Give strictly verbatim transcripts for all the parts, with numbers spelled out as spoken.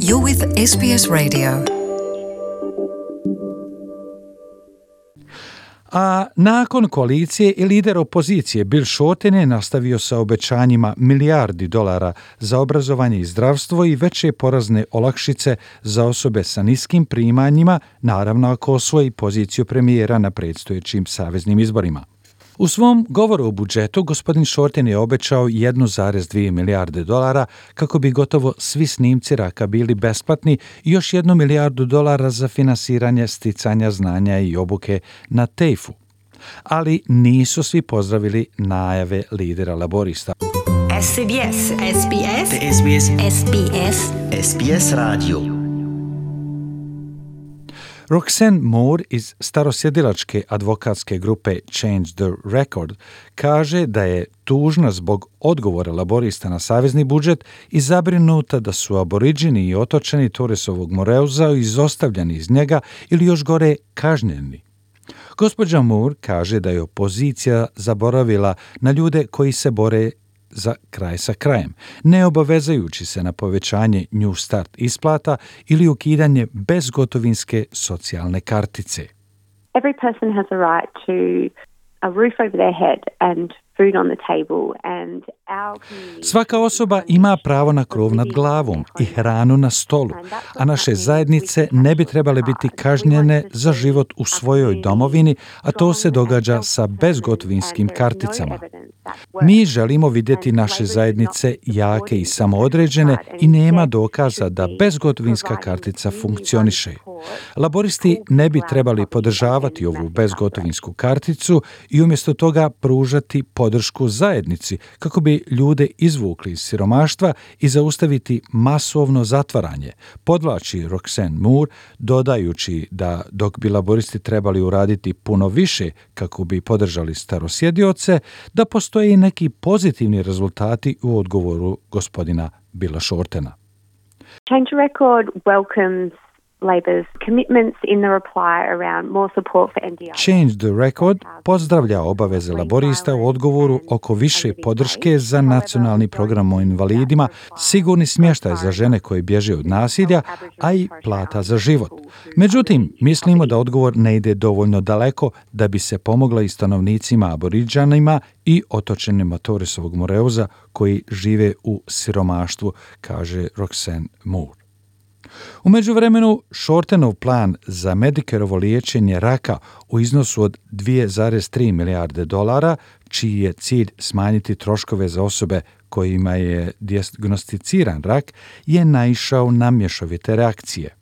You're with S B S Radio. A nakon koalicije i lider opozicije Bill Shorten je nastavio sa obećanjima milijardi dolara za obrazovanje i zdravstvo i veće porazne olakšice za osobe sa niskim primanjima, naravno ako osvoji poziciju premijera na predstojećim saveznim izborima. U svom govoru o budžetu gospodin Shorten je obećao jednu zarez dvije milijarde dolara kako bi gotovo svi snimci raka bili besplatni i još jednu milijardu dolara za finansiranje sticanja znanja i obuke na tejfu. Ali nisu svi pozdravili najave lidera laborista. S B S, S B S, S B S, S B S, S B S Radio. Roxanne Moore iz starosjedilačke advokatske grupe Change the Record kaže da je tužna zbog odgovora laborista na savezni budžet i zabrinuta da su aboriđini i otočani Torresovog Moreuza izostavljeni iz njega ili još gore kažnjeni. Gospođa Moore kaže da je opozicija zaboravila na ljude koji se bore za kraj sa krajem, ne obavezajući se na povećanje New Start isplata ili ukidanje bezgotovinske socijalne kartice. Every person has a right to a roof over their head and food on the table and our community... Svaka osoba ima pravo na krov nad glavom i hranu na stolu, a naše zajednice ne bi trebale biti kažnjene za život u svojoj domovini, a to se događa sa bezgotovinskim karticama. Mi želimo vidjeti naše zajednice jake i samoodređene i nema dokaza da bezgotovinska kartica funkcioniše. Laboristi ne bi trebali podržavati ovu bezgotovinsku karticu i umjesto toga pružati podršku zajednici kako bi ljude izvukli iz siromaštva i zaustaviti masovno zatvaranje, podvlači Roxanne Moore, dodajući da dok bi laboristi trebali uraditi puno više kako bi podržali starosjedioce, da postoje i neki pozitivni rezultati u odgovoru gospodina Billa Shortena. Change the Record welcomes Labor's commitments in the reply around more support for N D I. Change the Record pozdravlja obaveze laborista u odgovoru oko više podrške za nacionalni program o invalidima, sigurni smještaj za žene koje bježe od nasilja, a i plata za život. Međutim, mislimo da odgovor ne ide dovoljno daleko da bi se pomogla i stanovnicima aboriđanima i otočanima Torresovog Moreuza koji žive u siromaštvu, kaže Roxanne Moore. U međuvremenu, Shortenov plan za Medicareovo liječenje raka u iznosu od dvije zarez tri milijarde dolara, čiji je cilj smanjiti troškove za osobe kojima je dijagnosticiran rak, je naišao na mješovite reakcije.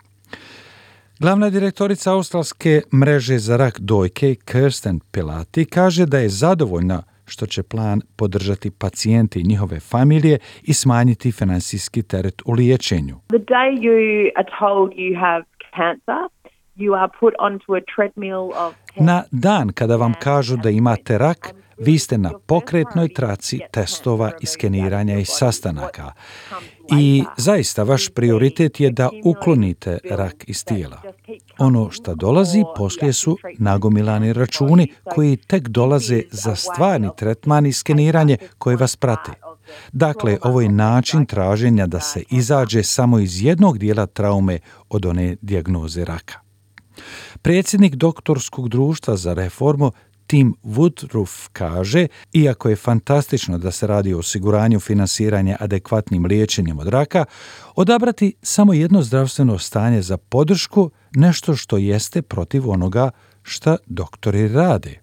Glavna direktorica australske mreže za rak dojke, Kirsten Pilati, kaže da je zadovoljna što će plan podržati pacijente i njihove familije i smanjiti financijski teret u liječenju. The day you are told you have cancer, you are put onto a treadmill of... Na dan kada vam kažu da imate rak, vi ste na pokretnoj traci testova i skeniranja i sastanaka. I zaista vaš prioritet je da uklonite rak iz tijela. Ono što dolazi poslije su nagomilani računi koji tek dolaze za stvarni tretman i skeniranje koje vas prate. Dakle, ovo je način traženja da se izađe samo iz jednog dijela traume od one dijagnoze raka. Predsjednik doktorskog društva za reformu Tim Woodruff kaže, iako je fantastično da se radi o osiguranju finansiranja adekvatnim liječenjem od raka, odabrati samo jedno zdravstveno stanje za podršku nešto što jeste protiv onoga što doktori rade.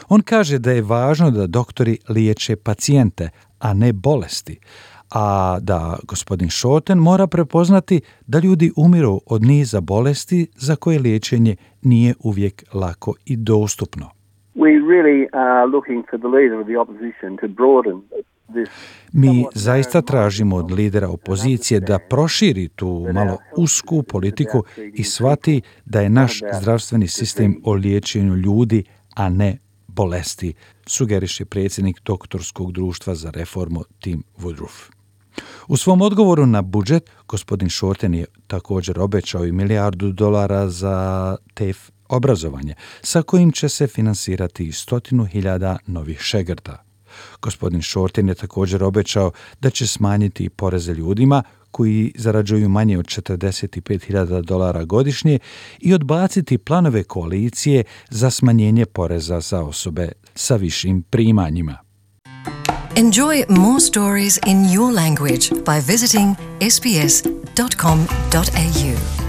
On kaže da je važno da doktori liječe pacijente, a ne bolesti, a da gospodin Shorten mora prepoznati da ljudi umiru od niza bolesti za koje liječenje nije uvijek lako i dostupno. We really are looking for the leader of the opposition to broaden this. Mi zaista tražimo od lidera opozicije da proširi tu malo usku politiku i shvati da je naš zdravstveni sistem o liječenju ljudi, a ne bolesti, sugeriše predsjednik doktorskog društva za reformu Tim Woodruff. U svom odgovoru na budžet, gospodin Shorten je također obećao i milijardu dolara za te obrazovanje, sa kojim će se finansirati stotinu hiljada novih šegrta. Gospodin Shorten je također obećao da će smanjiti poreze ljudima koji zarađuju manje od četrdeset pet hiljada dolara godišnje i odbaciti planove koalicije za smanjenje poreza za osobe sa višim primanjima. Enjoy more stories in your language by visiting s b s dot com dot a u.